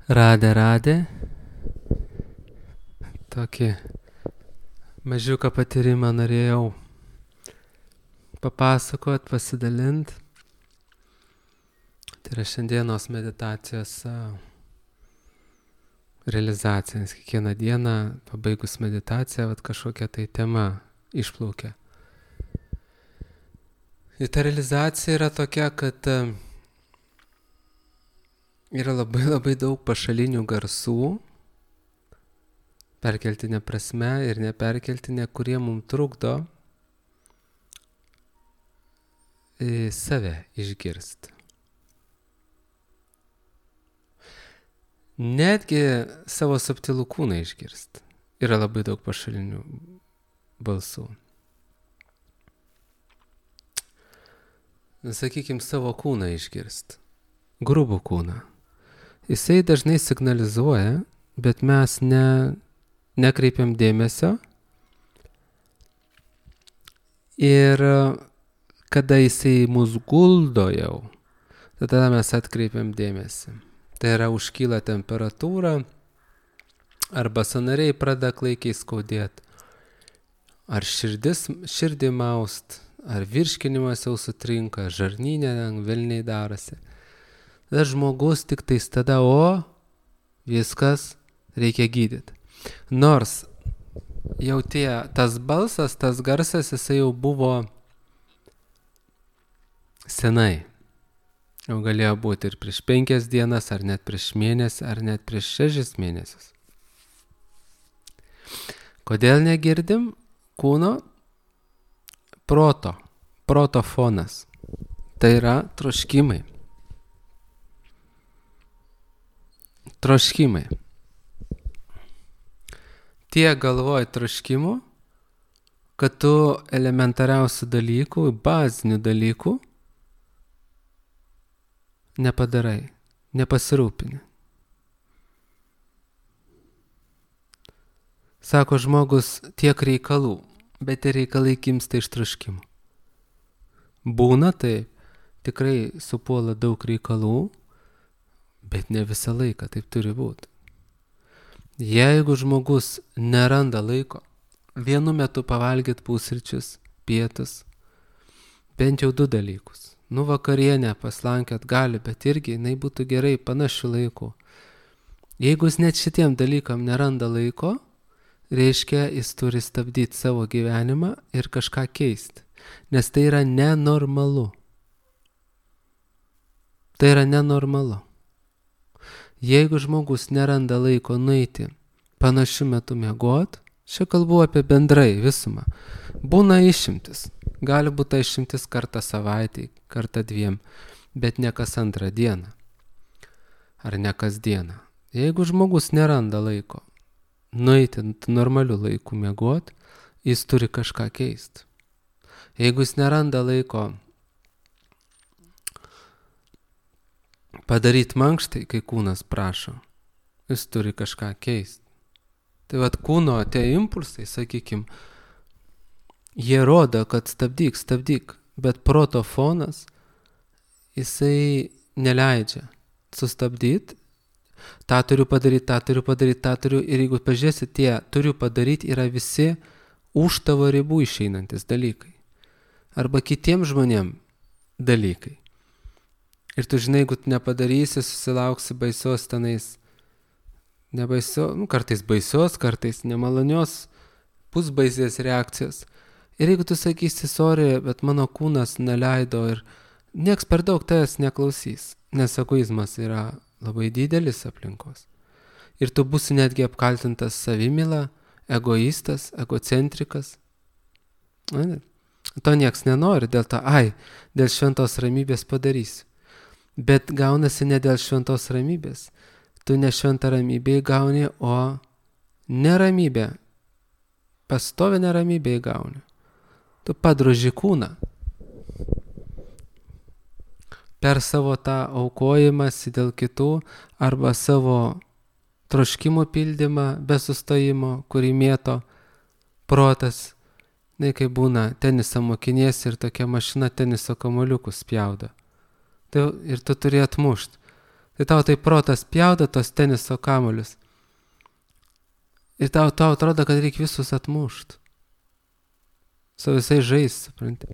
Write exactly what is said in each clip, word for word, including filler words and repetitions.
Radė, radė. Tokį mažiuką patyrimą norėjau papasakot, pasidalint. Tai yra šiandienos meditacijos realizacija, nes kiekvieną dieną pabaigus meditaciją, vat kažkokia tai tema išplaukia. Ir ta realizacija yra tokia, kad yra labai labai daug pašalinių garsų, perkeltinė prasme ir neperkeltinė, kurie mums trukdo save išgirsti. Netgi savo subtilų kūną išgirsti. Yra labai daug pašalinių balsų. Sakykime, savo kūną išgirsti. Grubų kūną. Jisai dažnai signalizuoja, bet mes ne, nekreipiam dėmesio. Ir kada jisai mus guldo jau, tada mes atkreipiam dėmesį. Tai yra užkyla temperatūra, arba sąnariai pradeda klaikiai skaudėti, ar širdis, širdį maust, ar virškinimas jau sutrinka, žarnyne velniai darosi. Tada žmogus tik tais tada, o viskas reikia gydyti. Nors jau tie, tas balsas, tas garsas, jisai jau buvo senai. Jau galėjo būti ir prieš penkias dienas, ar net prieš mėnesį, ar net prieš šešis mėnesius. Kodėl negirdim kūno? Proto, proto fonas. Tai yra troškimai. Troškimai. Tiek galvoji troškimų, kad tu elementariausių dalykų, bazinių dalykų nepadarai, nepasirūpini. Sako žmogus, tiek reikalų, bet ir reikalai gimsta iš troškimų. Būna taip, tikrai supuola daug reikalų, bet ne visą laiką taip turi būti. Jeigu žmogus neranda laiko, vienu metu pavalgyti pusryčius, pietus, bent jau du dalykus. Nu, vakarienę paslankiot gali, bet irgi jinai būtų gerai panašių laikų. Jeigu jis net šitiem dalykam neranda laiko, reiškia, jis turi stabdyti savo gyvenimą ir kažką keisti. Nes tai yra nenormalu. Tai yra nenormalu. Jeigu žmogus neranda laiko nueiti panašiu metu miegot, čia kalbu apie bendrai visumą. Būna išimtis. Gali būti išimtis kartą savaitį, kartą dviem, bet ne kas antrą dieną. Ar ne kas dieną. Jeigu žmogus neranda laiko nueiti normaliu laiku miegot, jis turi kažką keisti. Jeigu jis neranda laiko padaryti mankštai, kai kūnas prašo, jis turi kažką keisti. Tai vat kūno tie impulsai, sakykim, jie rodo, kad stabdyk, stabdyk, bet proto fonas, jisai neleidžia sustabdyti, tą turiu padaryti, tą turiu padaryti, tą turiu, ir jeigu pažiūrėsi, tie turiu padaryti yra visi už tavo ribų išeinantis dalykai. Arba kitiem žmonėm dalykai. Ir tu žinai, jeigu tu nepadarysi, susilauksi baisios tenais, nebaisios, nu, kartais baisios, kartais nemalonios, pusbaisės reakcijos. Ir jeigu tu sakysi, sorry, bet mano kūnas neleido ir nieks per daug tavęs neklausys, nes egoizmas yra labai didelis aplinkos. Ir tu būsi netgi apkaltintas savimyla, egoistas, egocentrikas. Ne? To nieks nenori, dėl to, ai, dėl šventos ramybės padarysiu. Bet gaunasi ne dėl šventos ramybės. Tu ne šventą ramybę įgauni, o neramybę. Pastovi neramybę įgauni. Tu padroži kūną. Per savo tą aukojimąsi dėl kitų arba savo troškimo pildymą be sustojimo, kurį mėto protas. Ne, kai būna teniso mokiniesi ir tokia mašina teniso kamuoliukus spjaudo. Tai ir tu turi atmušti. Tai tau tai protas pjauda tos teniso kamuolius. Ir tau, tau atrodo, kad reikia visus atmušt. Su visai žais, supranti.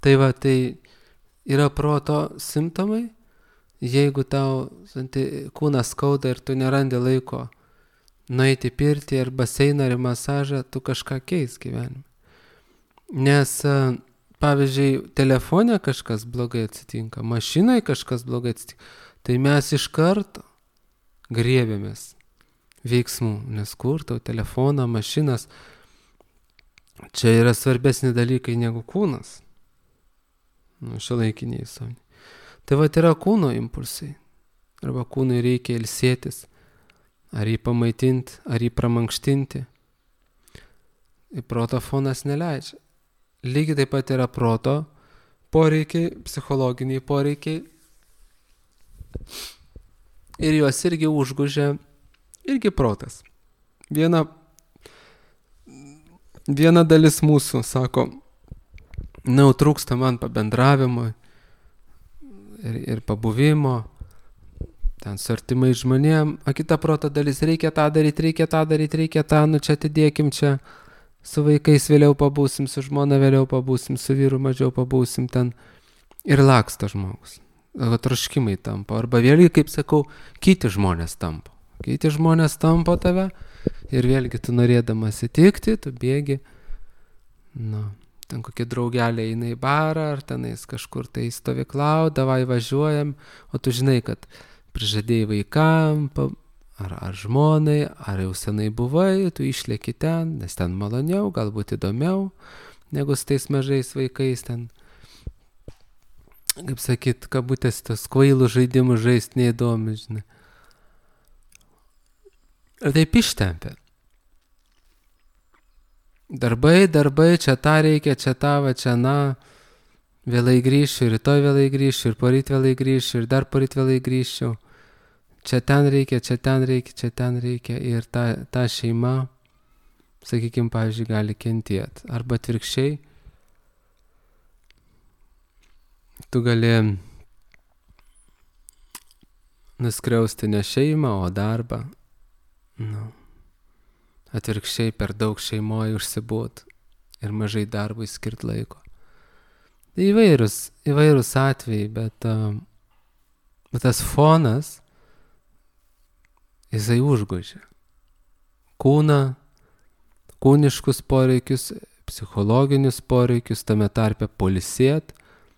Tai va, tai yra proto simptomai. Jeigu tau santi, kūnas skauda ir tu nerandi laiko nueiti pirtį ar baseiną ar masažą, tu kažką keis gyvenime. Nes, pavyzdžiui, telefone kažkas blogai atsitinka, mašinai kažkas blogai atsitinka, tai mes iš karto griebėmės veiksmų, nes kur tau telefoną, mašinas, čia yra svarbesni dalykai negu kūnas. Nu, šiuolaikiniai visuomenei. Tai va, yra kūno impulsai. Arba kūnui reikia ilsėtis, ar jį pamaitinti, ar jį pramankštinti. Ir proto fonas neleidžia. Lygiai taip pat yra proto poreikiai, psichologiniai poreikiai. Ir juos irgi užgužia irgi protas. Viena, viena dalis mūsų sako, na, trūksta man pabendravimo ir, ir pabuvimo, ten su artimai žmonėm, o kita proto dalis, reikia tą daryti, reikia tą daryti, reikia tą, nu čia atidėkim čia, su vaikais vėliau pabūsim, su žmona vėliau pabūsim, su vyru mažiau pabūsim ten ir laksta žmogus. O troškimai tampa, arba vėlgi, kaip sakau, kiti žmonės tampa. Kiti žmonės tampa tave ir vėlgi tu norėdamas įtikti, tu bėgi, nu, ten kokie draugeliai eina į barą, ar tenais kažkur tai stovyklau, davai važiuojam, o tu žinai, kad prižadėjai vaikam, ar, ar žmonai, ar jau senai buvai, tu išlėki ten, nes ten maloniau, galbūt įdomiau, negu su tais mažais vaikais ten, kaip sakyt, kabutės tos kvailų žaidimų žaisti neįdomi, žinai. Ir taip ištempia. Darbai, darbai, čia tą reikia, čia tą, va, čia na, vėlai grįšiu, rytoj vėlai grįšiu, ir poryt vėlai grįšiu, ir dar poryt vėlai grįšiu. Čia ten reikia, čia ten reikia, čia ten reikia. Ir ta, ta šeima, sakykime, pavyzdžiui, gali kentėti. Arba atvirkščiai, tu gali nuskriausti ne šeimą, o darbą. Nu. Atvirkščiai per daug šeimoje užsibūt ir mažai darbui skirt laiko. Tai įvairūs, įvairūs atvejai, bet, uh, bet tas fonas, jisai užgožia. Kūną, kūniškus poreikius, psichologinius poreikius, tame tarpe poilsėt,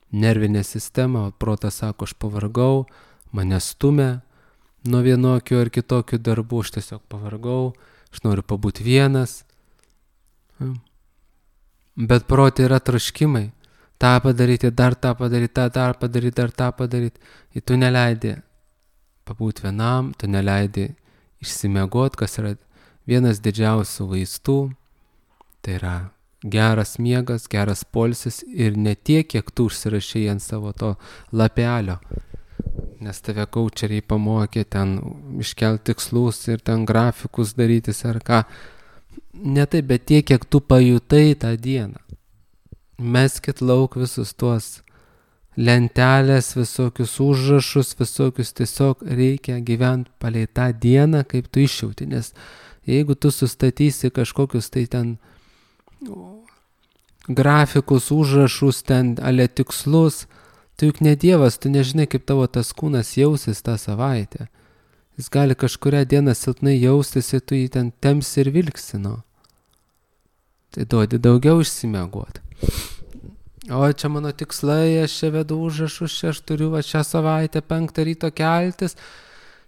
nervinę sistemą, protas sako, aš pavargau, mane stumia nuo vienokių ar kitokių darbų, aš tiesiog pavargau, aš noriu pabūti vienas. Bet protė yra troškimai. tą padaryti, dar tą padaryti, tą dar padaryti, dar tą padaryti. Ir tu neleidi pabūti vienam, tu neleidi išsimiegoti, kas yra vienas didžiausių vaistų. Tai yra geras miegas, geras poilsis ir ne tiek, kiek tu užsirašai ant savo to lapelio. Nes tave kaučeriai pamokė ten iškelti tikslus ir ten grafikus darytis ar ką. Ne taip, bet tiek, kiek tu pajutai tą dieną. Meskit lauk visus tuos lentelės, visokius užrašus, visokius, tiesiog reikia gyventi palei tą dieną, kaip tu išjauti. Nes jeigu tu sustatysi kažkokius tai ten grafikus, užrašus, ten ale tikslus, tu juk ne Dievas, tu nežinai, kaip tavo tas kūnas jausis tą savaitę. Jis gali kažkurią dieną silpnai jaustis ir tu jį ten temsi ir vilksi, nu. Tai duodi daugiau išsimiegoti. O čia mano tikslai, aš čia vedu užrašus, čia aš turiu va šią savaitę penktą ryto keltis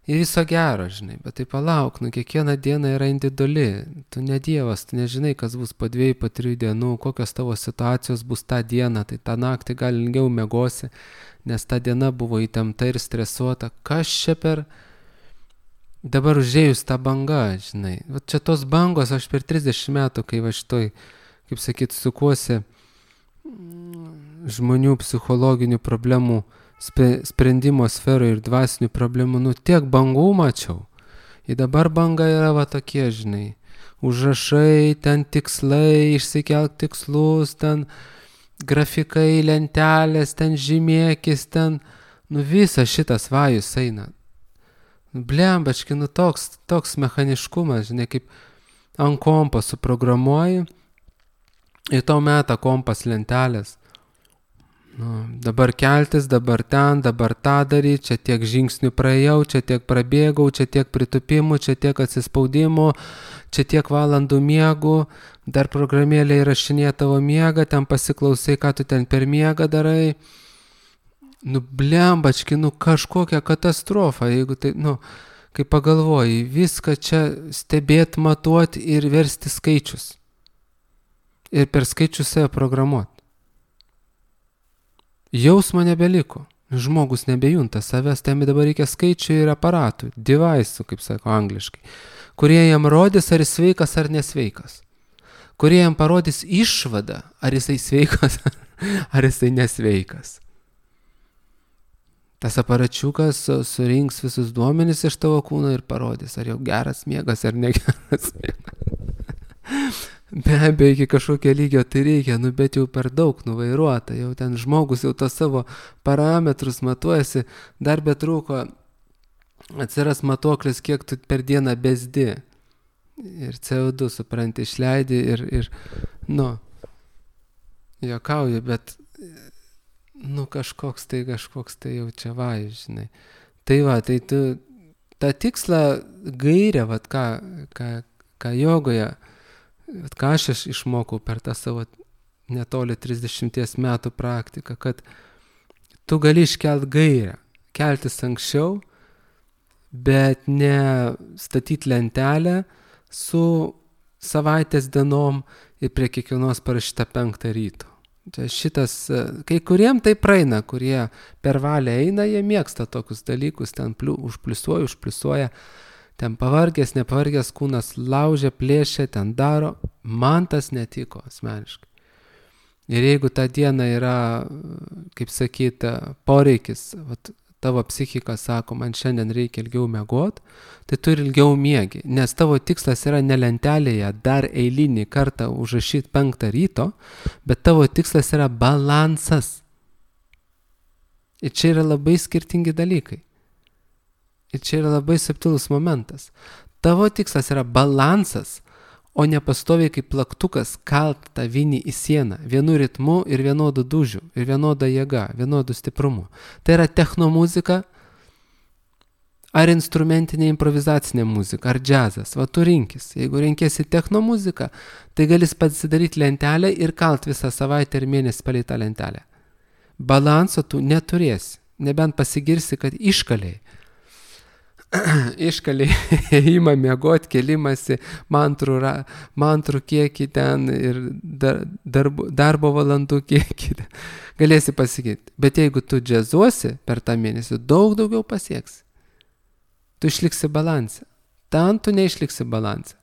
ir viso gero, žinai. Bet tai palauk, nu kiekviena diena yra individuali. Tu ne Dievas, tu nežinai, kas bus po dviejų, po trijų dienų, kokios tavo situacijos bus tą dieną. Tai tą naktį gal ilgiau miegosi, nes ta diena buvo įtempta ir stresuota. Kas čia per... Dabar užėjus tą bangą, žinai. Va čia tos bangos, aš per trisdešimt metų, kai va šitoj, kaip sakyt, sukuosi žmonių psichologinių problemų sprendimo sferoje ir dvasinių problemų, nu tiek bangų mačiau. Ir dabar banga yra va tokie, žinai. Užrašai, ten tikslai, išsikelk tikslus, ten grafikai, lentelės, ten žymėkis, ten... Nu visas šitas vajus eina. Nu blembački, nu toks, toks mechaniškumas, žinai, kaip ant kompo suprogramuoji ir tau meta kompas lentelės. Nu, dabar keltis, dabar ten, dabar tą daryti, čia tiek žingsnių praėjau, čia tiek prabėgau, čia tiek pritupimų, čia tiek atsispaudimų, čia tiek valandų miegų, dar programėlė įrašinėja tavo miegą, ten pasiklausai, ką tu ten per miegą darai. Nu blembački, nu kažkokia katastrofa, jeigu tai, nu, kai pagalvoji, viską čia stebėt, matuot ir versti skaičius. Ir per skaičius save programuot. Jausmo nebeliko. Žmogus nebejunta savęs, tam dabar reikia skaičių ir aparatų, device'ų, kaip sako angliškai, kurie jam rodys, ar jis sveikas ar nesveikas. Kurie jam parodys išvadą, ar jisai sveikas, ar jisai nesveikas. Tas aparačiukas surinks visus duomenis iš tavo kūno ir parodys, ar jau geras miegas ar negeras miegas. Be abejo, iki kažkokio lygio tai reikia, nu bet jau per daug nuvairuota, jau ten žmogus jau to savo parametrus matuojasi, dar betrūko atsiras matuoklis, kiek tu per dieną bezdi. Ir C O du, supranti, išleidi ir, ir nu, juokauju, bet, nu, kažkoks tai, kažkoks tai jau čia vajus, žinai. Tai va, tai tu tą tikslą gairę, vat ką, ką, ką jogoje, ką aš išmokau per tą savo netoli trisdešimties metų praktiką, kad tu gali iškelt gairę, keltis anksčiau, bet ne statyti lentelę su savaitės dienom ir prie kiekvienos parašyta penktą ryto. Tai šitas, kai kuriem tai praeina, kurie per valią eina, jie mėgsta tokius dalykus, ten pliu, užpliusuoja, užpliusuoja, ten pavargęs, nepavargęs kūnas laužia, plėšia, ten daro. Man tas netiko asmeniškai. Ir jeigu tą dieną yra, kaip sakyta, poreikis, vat, tavo psichika sako, man šiandien reikia ilgiau miegot, tai tu ir ilgiau miegi, nes tavo tikslas yra ne lentelėje dar eilinį kartą užrašyti penktą ryto, bet tavo tikslas yra balansas. Ir čia yra labai skirtingi dalykai. Ir čia yra labai subtilus momentas. Tavo tikslas yra balansas, o ne pastoviai kaip plaktukas kalt tą vinį į sieną, vienu ritmu ir vienodu dūžiu, ir vienoda jėga, vienodu stiprumu. Tai yra technomuzika, ar instrumentinė improvizacinė muzika, ar džiazas. Va tu rinkis. Jeigu renkėsi technomuziką, tai galis pasidaryti lentelę ir kalt visą savaitę ir mėnesį palei tą lentelę. Balanso tu neturėsi, nebent pasigirsi, kad iškaliai. Iškaliai įma miegot, kelimasi, mantrų, mantrų kiekį ten ir dar, darbo, darbo valandų kiekį. Galėsi pasakyti. Bet jeigu tu džiazuosi per tą mėnesį, daug daugiau pasieksi. Tu išliksi balansą. Ten tu neišliksi balansą.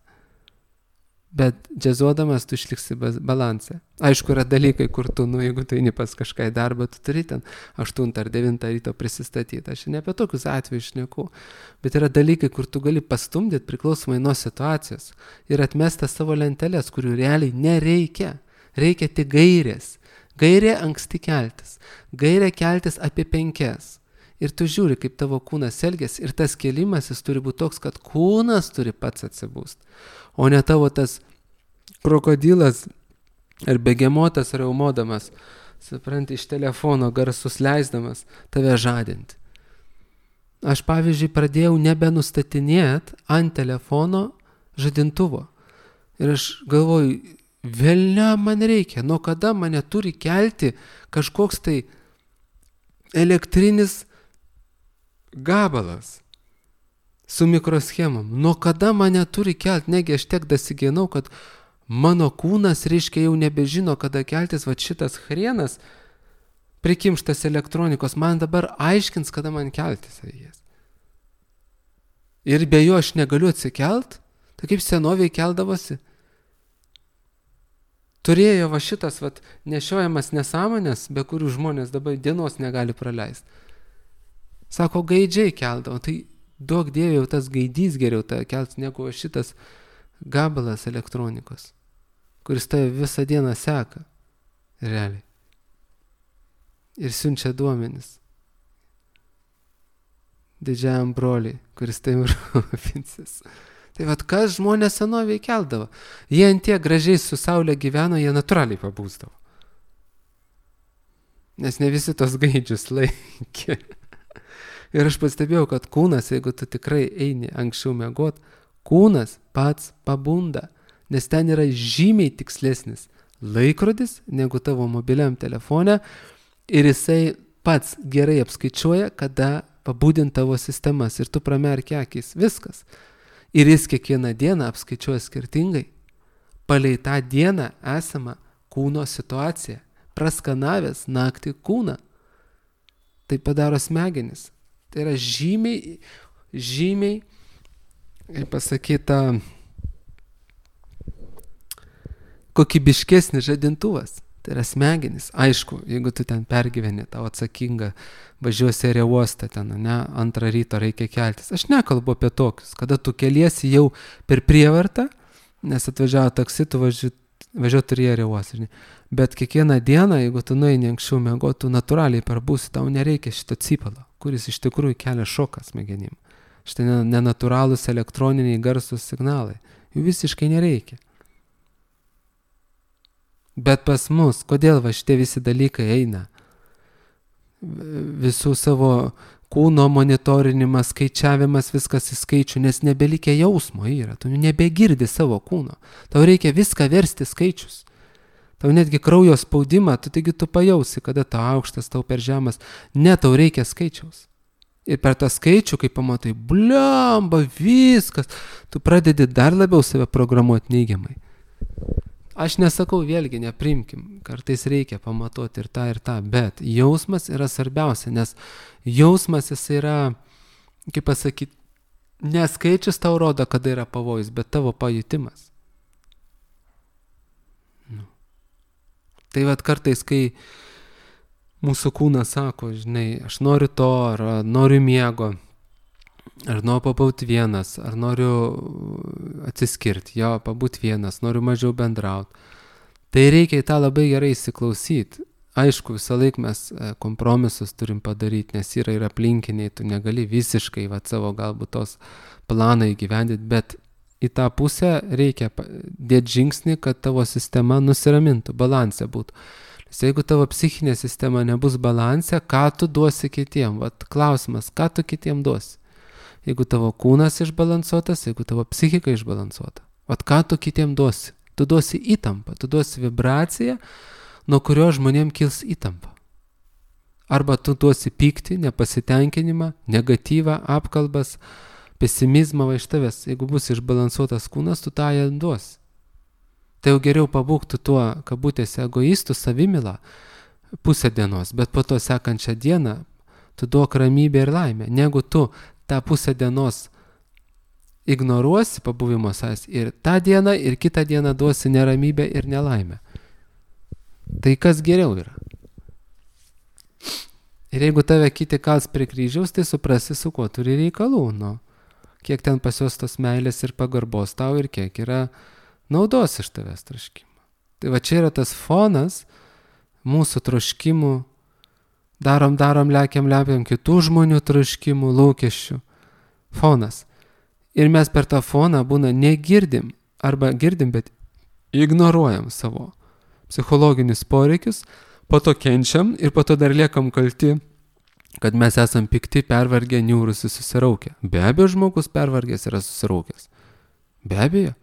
Bet džiazuodamas tu išliksi balansą. Aišku, yra dalykai, kur tu, nu, jeigu tu eini pas kažką į darbą, tu turi ten aštuntą ar devintą ryto prisistatyti. Aš ne apie tokius atvejus šneku, bet yra dalykai, kur tu gali pastumdyti priklausomai nuo situacijos ir atmesti savo lentelės, kurių realiai nereikia. Reikia tik gairės. Gairė anksti keltis. Gairė keltis apie penkias. Ir tu žiūri, kaip tavo kūnas elgiasi ir tas kėlimas jis turi būti toks, kad kūnas turi pats atsibūst. O ne tavo tas krokodilas ar begemotas raumodamas, supranti, iš telefono garsus leisdamas tave žadinti. Aš, pavyzdžiui, pradėjau nebenustatinėti ant telefono žadintuvo. Ir aš galvoju, velnia man reikia, nuo kada mane turi kelti kažkoks tai elektrinis gabalas su mikroschemom. Nuo kada mane turi kelti, negi aš tiek dasigenau, kad mano kūnas, reiškia, jau nebežino, kada keltis, va šitas hrienas prikimštas elektronikos, man dabar aiškins, kada man keltis reikės. Ir be jo aš negaliu atsikelt, tai kaip senoviai keldavosi. Turėjo va šitas va nešiojamas nesąmonės, be kurių žmonės dabar dienos negali praleisti. Sako, gaidžiai keldavo, tai duok Dieve jau tas gaidys geriau tą kelt, negu šitas gabalas elektronikos, kuris tave visą dieną seka, realiai. Ir siunčia duomenis. didžiajam broliui, kuris tai rūpinsis. Tai vat kas žmonės senovėje keldavo. Jie ant tiek gražiai su saulė gyveno, jie natūraliai pabūsdavo. Nes ne visi tos gaidžius laikė. Ir aš pastebėjau, kad kūnas, jeigu tu tikrai eini anksčiau miegot, kūnas pats pabunda, nes ten yra žymiai tikslesnis laikrodis negu tavo mobiliam telefone ir jisai pats gerai apskaičiuoja, kada pabudint tavo sistemas ir tu pramerki akis. Viskas. Ir jis kiekvieną dieną apskaičiuoja skirtingai, palei tą dieną esamą kūno situaciją, praskanavęs naktį kūną. Tai padaro smegenis. Tai yra žymiai, žymiai, kaip pasakyta, kokybiškesnis žadintuvas. Tai yra smegenis. Aišku, jeigu tu ten pergyveni, tau atsakinga, važiuosi oro uostą ten, ne, antrą ryto reikia keltis. Aš nekalbu apie tokius, kada tu keliesi jau per prievartą, nes atvažiavo taksi, tu važiuoji turi oro uostą. Bet kiekvieną dieną, jeigu tu nueini anksčiau miegot, tu natūraliai parbūsi, tau nereikia šito cypalo, kuris iš tikrųjų kelia šoką smegenim. Štai nenatūralūs elektroniniai garsus signalai. Jų visiškai nereikia. Bet pas mus, kodėl va šitie visi dalykai eina? Visų savo kūno monitorinimas, skaičiavimas, viskas į skaičių, nes nebelikia jausmo yra, tu nebegirdi savo kūno. Tau reikia viską versti skaičius. Tau netgi kraujo spaudimą, tu taigi tu pajausi, kada tau aukštas, tau per žemas. Ne, tau reikia skaičiaus. Ir per tą skaičių, kai pamatai, bliamba, viskas, tu pradedi dar labiau save programuoti neigiamai. Aš nesakau, vėlgi, neprimkim, kartais reikia pamatuoti ir tą, ir tą, bet jausmas yra svarbiausia, nes jausmas jis yra, kaip pasakyti, neskaičius tau rodo, kada yra pavojus, bet tavo pajutimas. Nu. Tai vat kartais, kai mūsų kūnas sako, žinai, aš noriu to, ar noriu miego, ar noriu pabūti vienas, ar noriu atsiskirti, jo, pabūti vienas, noriu mažiau bendrauti. Tai reikia į tą labai gerai įsiklausyti. Aišku, visą laiką mes kompromisus turim padaryti, nes yra ir aplinkiniai, tu negali visiškai va, savo galbūt tos planą įgyvendinti, bet į tą pusę reikia dėti žingsnį, kad tavo sistema nusiramintų, balansė būtų. Nes jeigu tavo psichinė sistema nebus balansė, ką tu duosi kitiem? Vat klausimas, ką tu kitiem duosi? Jeigu tavo kūnas išbalansuotas, jeigu tavo psichika išbalansuota. Vat ką tu kitiem duosi? Tu duosi įtampą, tu duosi vibraciją, nuo kurio žmonėm kils įtampa. Arba tu duosi pyktį, nepasitenkinimą, negatyvą, apkalbas, pesimizmą va iš tavęs. Jeigu bus išbalansuotas kūnas, tu tą jam duosi. Tai jau geriau pabūktų tuo, kabutėse, egoistų savimylą pusę dienos, bet po to sekančią dieną tu duok ramybę ir laimę, negu tu tą pusę dienos ignoruosi pabuvimo savęs ir tą dieną ir kitą dieną duosi neramybę ir nelaimę. Tai kas geriau yra? Ir jeigu tave kiti kals prie kryžiaus, tai suprasi, su kuo turi reikalų. Nu, kiek ten pas juos tos meilės ir pagarbos tau ir kiek yra naudos iš tavęs troškimo. Tai va čia yra tas fonas mūsų troškimų, darom, darom, lekiam, lekiam, kitų žmonių troškimų, lūkesčių. Fonas. Ir mes per tą foną būna negirdim, arba girdim, bet ignoruojam savo psichologinius poreikius, po to kenčiam ir po to dar liekam kalti, kad mes esam pikti, pervargę, niūrusi, susiraukę. Be abejo, žmogus pervargęs yra susiraukęs. Be abejo.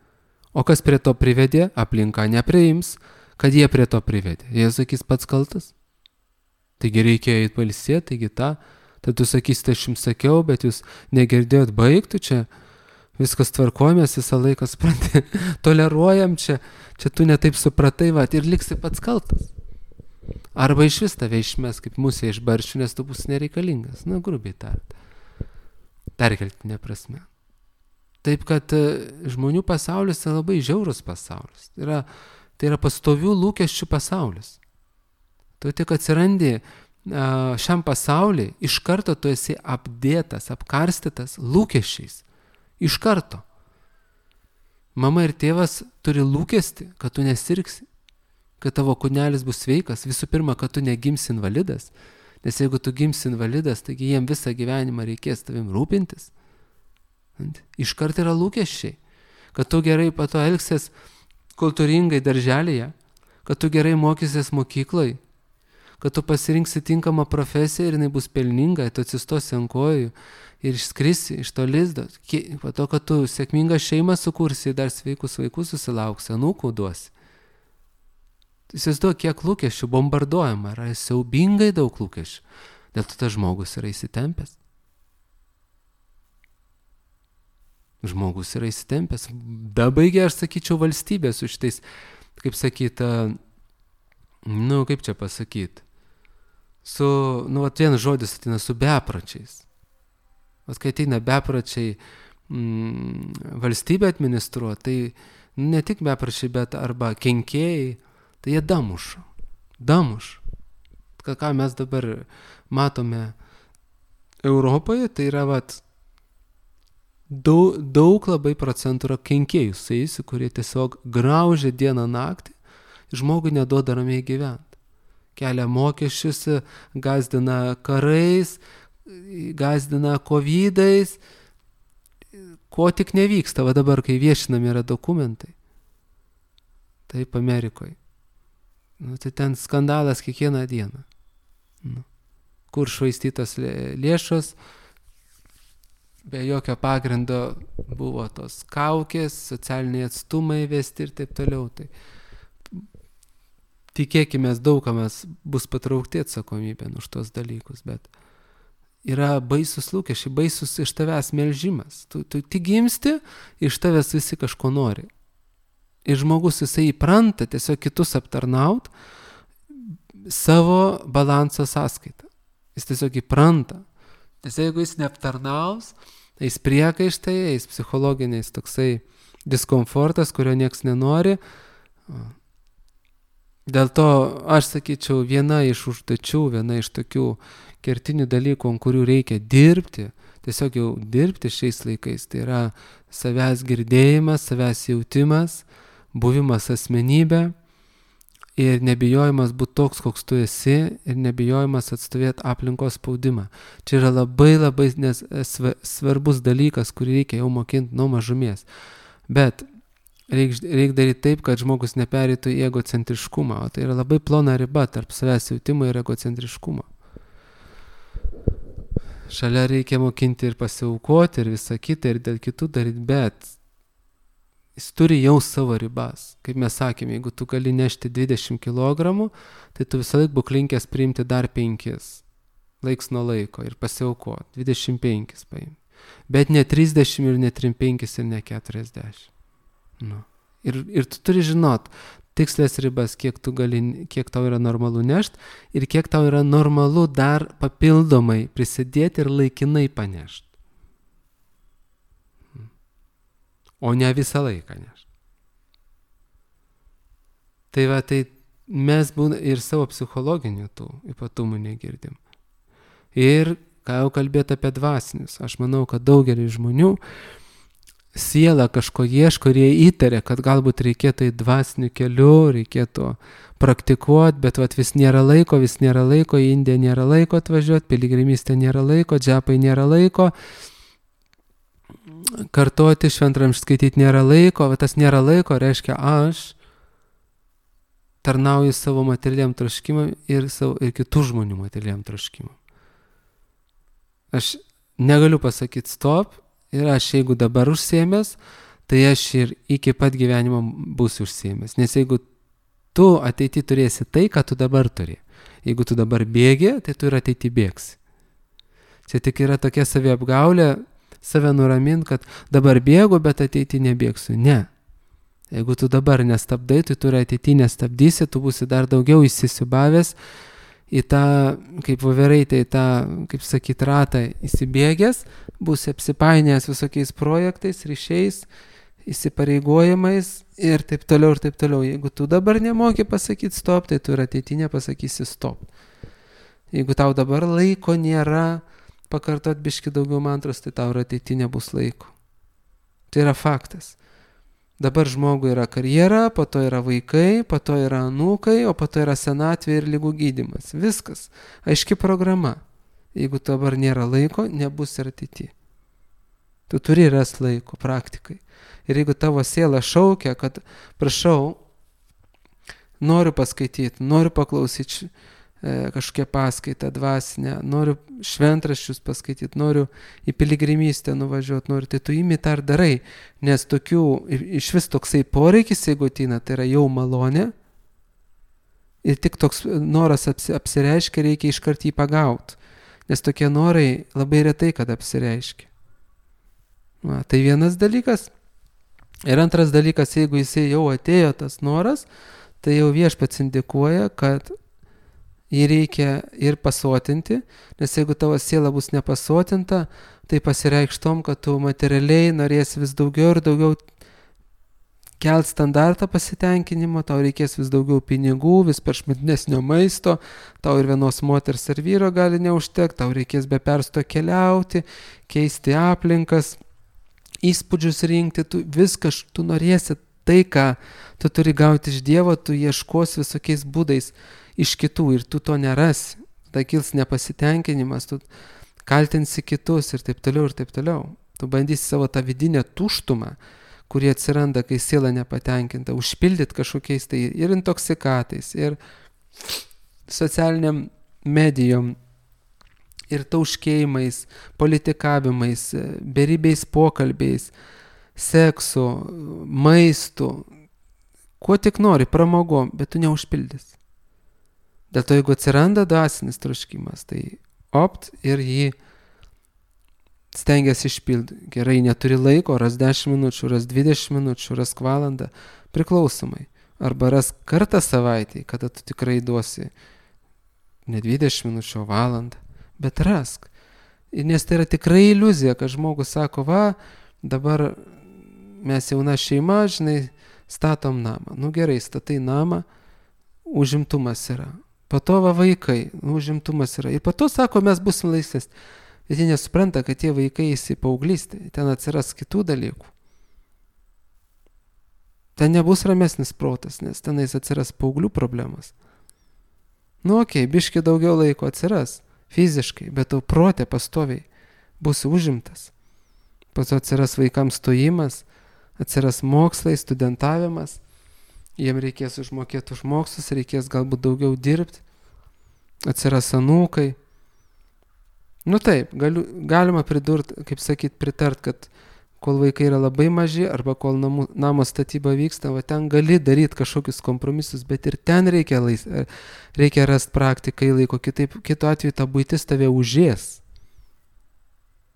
O kas prie to privedė, aplinka nepriims, kad jie prie to privedė. Jie sakys pats kaltas. Taigi reikėjo eiti pailsėti, taigi tą, tai tu sakysite, aš jums sakiau, bet jūs negirdėjot, baigtų čia, viskas tvarkojamės, visą laiką supranti, toleruojam čia, čia tu netaip supratai, va, ir liksi pats kaltas. Arba iš vis tave išmes kaip musė iš barščių, nes tu bus nereikalingas, na, grubiai tariant. Perkeltinė prasme. Taip, kad žmonių pasaulis yra labai žiaurus pasaulis. Tai yra, tai yra pastovių lūkesčių pasaulis. Tu tik atsirandi šiam pasauliui, iš karto tu esi apdėtas, apkarstytas lūkesčiais. Iš karto. Mama ir tėvas turi lūkesti, kad tu nesirgsi, kad tavo kūnelis bus sveikas. Visų pirma, kad tu negimsi invalidas. Nes jeigu tu gimsi invalidas, taigi jiem visą gyvenimą reikės tavim rūpintis. Iškart yra lūkesčiai, kad tu gerai po to elgsies kultūringai darželėje, kad tu gerai mokysies mokyklai, kad tu pasirinksi tinkamą profesiją ir jinai bus pelninga, tu atsistosi ant kojų ir išskrisi iš to lizdo. Po to, kad tu sėkmingą šeimą sukursi, dar sveikus vaikus susilauksi, anūkų duosi. Įsivaizduok, kiek lūkesčių bombarduojama, yra siaubingai daug lūkesčių. Dėl to tas žmogus yra įsitempęs. Žmogus yra įsitempęs. Dabaigė, aš sakyčiau, valstybė su šitais, kaip sakyt, nu, kaip čia pasakyti, su, nu, vat vienas žodis ateina, su bepročiais. Vat kai ateina bepročiai mm, valstybę administruoti, tai ne tik bepročiai, bet arba kenkėjai, tai jie damuša. Damuša. Ką mes dabar matome Europoje, tai yra vat daug, daug labai procentų yra kenkėjų suėjusių, kurie tiesiog graužia dieną naktį, žmogui neduoda ramiai gyventi. Kelia mokesčius, gazdina karais, gazdina kovidais, ko tik nevyksta, va dabar, kai viešinami yra dokumentai. Taip, Amerikoje. Nu, tai ten skandalas kiekvieną dieną. Nu, kur švaistytos lėšos, be jokio pagrindo buvo tos kaukės, socialiniai atstumai vesti ir taip toliau. Tai tikėkime, daug kas bus patraukti atsakomybėn už tos dalykus, bet yra baisus lūkesčiai, baisus iš tavęs melžimas. Tu, tu tik gimsti, iš tavęs visi kažko nori. Ir žmogus jisai įpranta tiesiog kitus aptarnaut savo balanso sąskaitą. Jis tiesiog įpranta. Nes jeigu jis neaptarnaus, eis priekaištai, eis psichologiniais toksai diskomfortas, kurio nieks nenori. Dėl to aš sakyčiau, viena iš užduočių, viena iš tokių kertinių dalykų, ant kurių reikia dirbti, tiesiog jau dirbti šiais laikais, tai yra savęs girdėjimas, savęs jautimas, buvimas asmenybė ir nebijojimas būti toks, koks tu esi ir nebijojimas atstovėti aplinkos spaudimą. Čia yra labai labai nes, svarbus dalykas, kurį reikia jau mokinti nuo mažumės. Bet Reik, reik daryti taip, kad žmogus nepereitų į egocentriškumą, o tai yra labai plona riba tarp savęs jautimo ir egocentriškumo. Šalia reikia mokinti ir pasiaukoti ir visą kitą ir dėl kitų daryti, bet jis turi jau savo ribas. Kaip mes sakėme, jeigu tu gali nešti dvidešimt kilogramų, tai tu visą laik būk linkęs priimti dar penkis, laiks nuo laiko ir pasiaukoti, dvidešimt penkis paimti. Bet ne trisdešimt ir ne trisdešimt penkis ir ne keturiasdešimt. Nu. Ir, ir tu turi žinot tikslės ribas, kiek, tu gali, kiek tau yra normalu nešt ir kiek tau yra normalu dar papildomai prisidėti ir laikinai panešt. O ne visą laiką nešt. Tai va, tai mes būna ir savo psichologinių tų ypatumų negirdim. Ir ką jau kalbėti apie dvasinius, aš manau, kad daugelis žmonių siela kažko ieško ir jie įtarė, kad galbūt reikėtų į dvasinių kelių, reikėtų praktikuoti, bet vat, vis nėra laiko, vis nėra laiko, į Indiją nėra laiko atvažiuoti, piligrimystė nėra laiko, džepai nėra laiko, kartoti, šventramštį skaityti nėra laiko, vat tas nėra laiko reiškia aš tarnauju savo materialiam troškimam ir, savo, ir kitų žmonių materialiam troškimam. Aš negaliu pasakyti stop, ir aš jeigu dabar užsiėmęs, tai aš ir iki pat gyvenimo būsiu užsiėmęs. Nes jeigu tu ateity turėsi tai, ką tu dabar turi. Jeigu tu dabar bėgi, tai tu ir ateity bėgsi. Čia tik yra tokia saviapgaulė, save nuramint, kad dabar bėgu, bet ateity nebėgsiu. Ne. Jeigu tu dabar nestabdai, tai tu ir ateity nestabdysi, tu būsi dar daugiau įsisiubavęs į tą, kaip voveraitė, į tą, kaip sakyt, ratą įsibėgęs, bus apsipainėjęs visokiais projektais, ryšiais, įsipareigojimais ir taip toliau ir taip toliau. Jeigu tu dabar nemoki pasakyti stop, tai tu ir ateitinė pasakysi stop. Jeigu tau dabar laiko nėra pakartot biški daugiau mantros, tai tau ir ateitinė bus laiko. Tai yra faktas. Dabar žmogui yra karjera, po to yra vaikai, po to yra anūkai, o po to yra senatvė ir ligų gydymas. Viskas. Aiški programa. Jeigu dabar nėra laiko, nebus ir ateityje. Tu turi ras laiko praktikai. Ir jeigu tavo siela šaukia, kad prašau, noriu paskaityti, noriu paklausyti e, kažkokią paskaitą dvasinę, noriu šventraščius paskaityti, noriu į piligrimystę nuvažiuoti, noriu, tai tu imi tą ir darai, nes tokių, iš vis toksai poreikis, jeigu ateina, tai yra jau malonė ir tik toks noras apsi, apsireiškia, reikia iškart jį pagauti, nes tokie norai labai retai, kad apsireiškia. Va, tai vienas dalykas. Ir antras dalykas, jeigu jisai jau atėjo tas noras, tai jau viešpats indikuoja, kad jį reikia ir pasotinti, nes jeigu tavo siela bus nepasotinta, tai pasireikš tom, kad tu materialiai norėsi vis daugiau ir daugiau kelt standartą pasitenkinimo, tau reikės vis daugiau pinigų, vis prašmatnesnio maisto, tau ir vienos moters ar vyro gali neužtekti, tau reikės be persto keliauti, keisti aplinkas, įspūdžius rinkti, tu viską, tu norėsi tai, ką tu turi gauti iš Dievo, tu ieškos visokiais būdais iš kitų ir tu to nerasi. Tai kils nepasitenkinimas, tu kaltinsi kitus ir taip toliau ir taip toliau. Tu bandysi savo tą vidinę tuštumą, kurie atsiranda, kai siela nepatenkinta, užpildyti kažkokiais tai ir intoksikatais, ir socialiniam medijom, ir tauškėjimais, politikavimais, beribiais pokalbiais, seksu, maistu, kuo tik nori, pramogom, bet tu neužpildys. Dėl to, jeigu atsiranda dvasinis troškimas, tai opt ir jį stengiasi išpildyti. Gerai, neturi laiko, ras dešimt minučių, ras dvidešimt minučių, ras valandą, priklausomai. Arba ras kartą savaitį, kada tu tikrai duosi ne dvidešimt minučių, o valandą. Bet rask. Nes tai yra tikrai iliuzija, kad žmogus sako, va, dabar mes jauna šeima, žinai, statom namą. Nu gerai, statai namą, užimtumas yra. Po to va vaikai, užimtumas yra. Ir po to sako, mes busim laisvės. Bet jie nesupranta, kad tie vaikai į paauglystę, ten atsiras kitų dalykų. Ten nebus ramesnis protas, nes tenais atsiras paauglių problemas. Nu okei, okay, biški daugiau laiko atsiras. Fiziškai, bet tau protė pastoviai bus užimtas. Po to atsiras vaikams stojimas, atsiras mokslai, studentavimas, jiem reikės užmokėti už mokslus, reikės galbūt daugiau dirbti, atsiras anūkai. Nu taip, galiu, galima pridurti, kaip sakyt, pritart, kad kol vaikai yra labai maži arba kol namų, namo statyba vyksta, va ten gali daryti kažkokius kompromisus, bet ir ten reikia, lais, reikia rasti praktikai laiko, kitaip, kitu atveju ta buitis tave užės.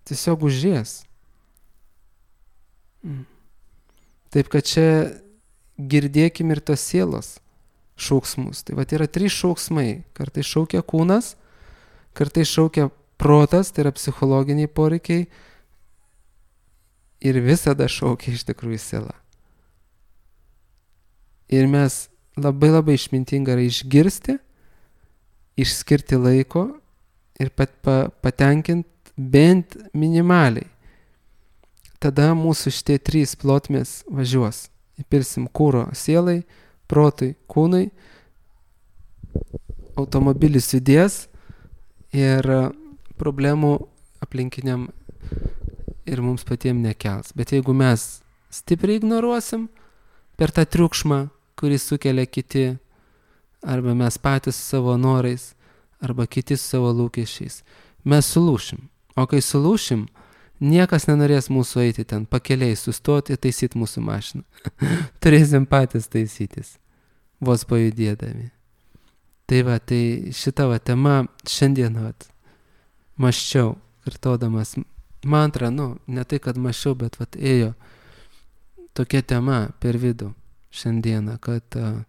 Tiesiog užės. Taip, kad čia girdėkim ir tos sielos šauksmus. Tai va yra trys šauksmai. Kartais šaukia kūnas, kartais šaukia protas, tai yra psichologiniai poreikiai, ir visada šaukia iš tikrųjų siela. Ir mes labai labai išmintinga yra išgirsti, išskirti laiko ir pat, pa, patenkinti bent minimaliai. Tada mūsų šitie trys plotmės važiuos. Įpilsim kūro sielai, protui, kūnui, automobilis judės ir problemų aplinkiniam ir mums patiems nekels. Bet jeigu mes stipriai ignoruosim per tą triukšmą, kurį sukelia kiti, arba mes patys savo norais, arba kiti savo lūkesčiais, mes sulūšim. O kai sulūšim, niekas nenorės mūsų eiti ten pakeliai, sustoti ir taisyti mūsų mašiną. Turėsim patys taisytis, vos pajudėdami. Tai va, tai šita va tema šiandien va, maščiau, kartodamas mantrą, nu, ne tai, kad maščiau, bet vat ėjo tokia tema per vidų šiandieną, kad uh,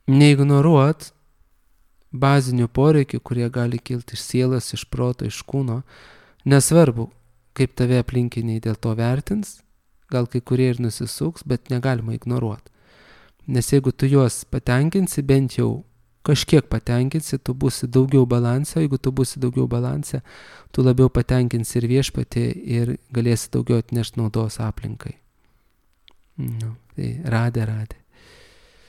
neignoruot bazinių poreikių, kurie gali kilti iš sielos, iš proto, iš kūno, nesvarbu, kaip tave aplinkiniai dėl to vertins, gal kai kurie ir nusisuks, bet negalima ignoruoti. Nes jeigu tu juos patenkinsi, bent jau kažkiek patenkinsi, tu būsi daugiau balanse, jeigu tu būsi daugiau balanse, tu labiau patenkinsi ir viešpatį ir galėsi daugiau atnešti naudos aplinkai. Nu, tai radė, radė.